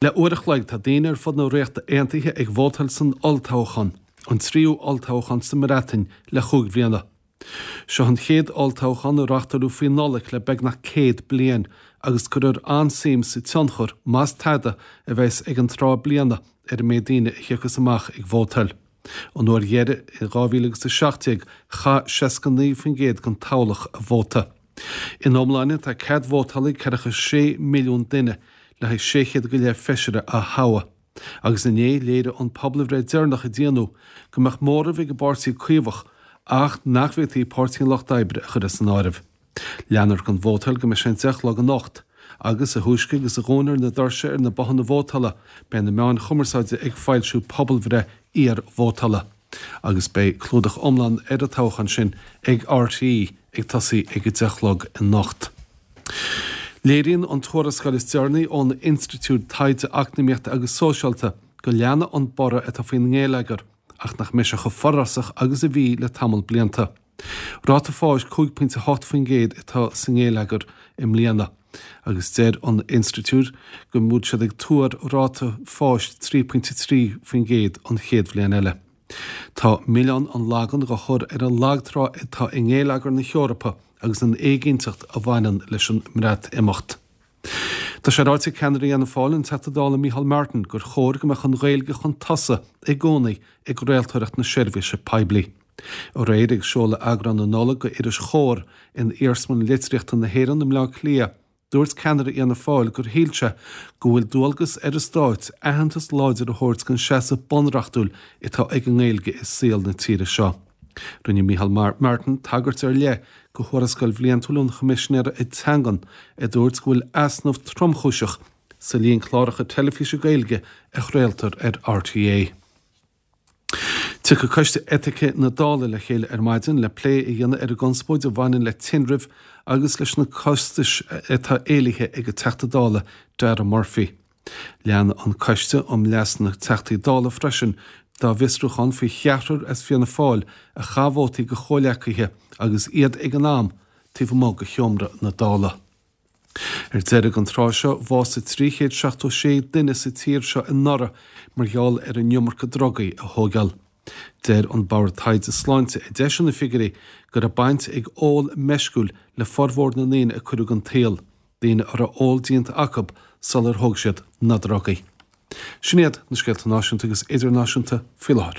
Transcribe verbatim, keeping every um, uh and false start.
Le uair a chloig tá daoine ar fud na Ríochta Aontaithe ag vótáil san olltoghchán, an tríú olltoghchán sa mBreatain le cúig bliana. Seo an chéad olltoghchán a reáchtáladh faoi Nollaig le beagnach céad bliain agus cuirfear an-suim sa tionchar, más tada, a bheas ag an tráth bliana ar an méid daoine a thiocfas amach ag vótáil. An uair dheiridh in dhá mhíle agus a seacht déag chaith seasca naoi faoin gcéad den toghlach a vóta. In iomláine tá cead vótála ag ceathracha sé milliún duine le haghaidh sé chéad go leith feisire a thoghadh. Agus inné léirigh an pobalbhreith deireanach a déanadh go mbeadh móramh ag an bPáirtí Caomhach ach nach bhféadfaí Páirtí an Lucht Oibre a chur as an áireamh. Leanfar den vótáil go mbeidh sé an deich a chlog anocht agus a thúisce agus a dhúnfar na doirse ar na bothanna vótála beidh na meáin chumarsáide ag foilsiú pobalbhreith iar-vótála. Agus beidh clúdach iomlán ar an toghchán sin ag R T É ag tosaí ag a deich a chlog anocht. Léiríonn an tuarascáil is deireanaí ón Institiúid Taighde Eacnamaíochta agus Sóisialta go leanfaidh an borradh atá faoin ngeilleagar ach nach mbeidh sé chomh forásach agus a bhí le tamall blianta. Ráta fáis cúig pointe hocht faoin gcéad atá sa ngeilleagar i mbliana, agus deir an institiúid go bhfuil siad ag tuar ráta fáis trí pointe trí faoin gcéad an chéad bhliain eile. Tá milleán an lagan á chur ar an lagtrá atá i ngeilleagar na hEorpa agus an éiginnteacht a bhaineann leis an mBreatimeacht. Tá sé ráite ag ceannaire Fhianna Fáil, an Teachta Dála Micheál Martin, gur chóir go mbeadh an Ghaeilge chun tosaigh i gcónaí i gcraoltóireacht na seirbhíse poiblí. Aréir ag seoladh eagrán na Nollag de iris Chomhar in Iarsmalann Litríochta na hÉireann i mBleá Cliath, dúirt ceannaire Fhianna Fáil gur shíl sé go bhfuil dualgas ar an stát aitheantas láidir a thabhairt don seasamh bunreachtúil atá ag an nGaeilge i saol na tíre seo. Rinne Micheál Martin tagairt ar leith do thuarascáil bhliantúil an Choimisinéara Teangan a dúirt go bhfuil easnamh tromchúiseach sa líon cláracha teilifíse Gaeilge a chraoltar ar R T É. Tiocfaidh Coiste Eitice na Dála le chéile ar maidin le plé a dhéanamh ar an gconspóid a bhaineann le tinreamh agus leis na costais atá éilithe ag an Teachta Dála Dara Murphy. Lean an Coiste um Leas na Teachtaí Dála freisin dá bhfiosrúchán faoi cheathrar as Fianna Fáil a chaith vótaí do chomhghleacaithe agus iad ag an am taobh amuigh de sheomra na Dála. Ar deireadh an tráth seo bhásaigh trí chéad seachtó sé duine sa tír seo anuraidh mar gheall ar an iomarca drugaí a thógáil. Deir an Bord Taighde Sláinte a d'eisigh na figiúirí go raibh baint ag ól meisciúil le formhór na ndaoine a cuireadh den tsaol, daoine a raibh ól déanta acu sular thóg siad na drugaí. Sin iad na scéalta náisiúnta agus idirnáisiúnta faoi láthair.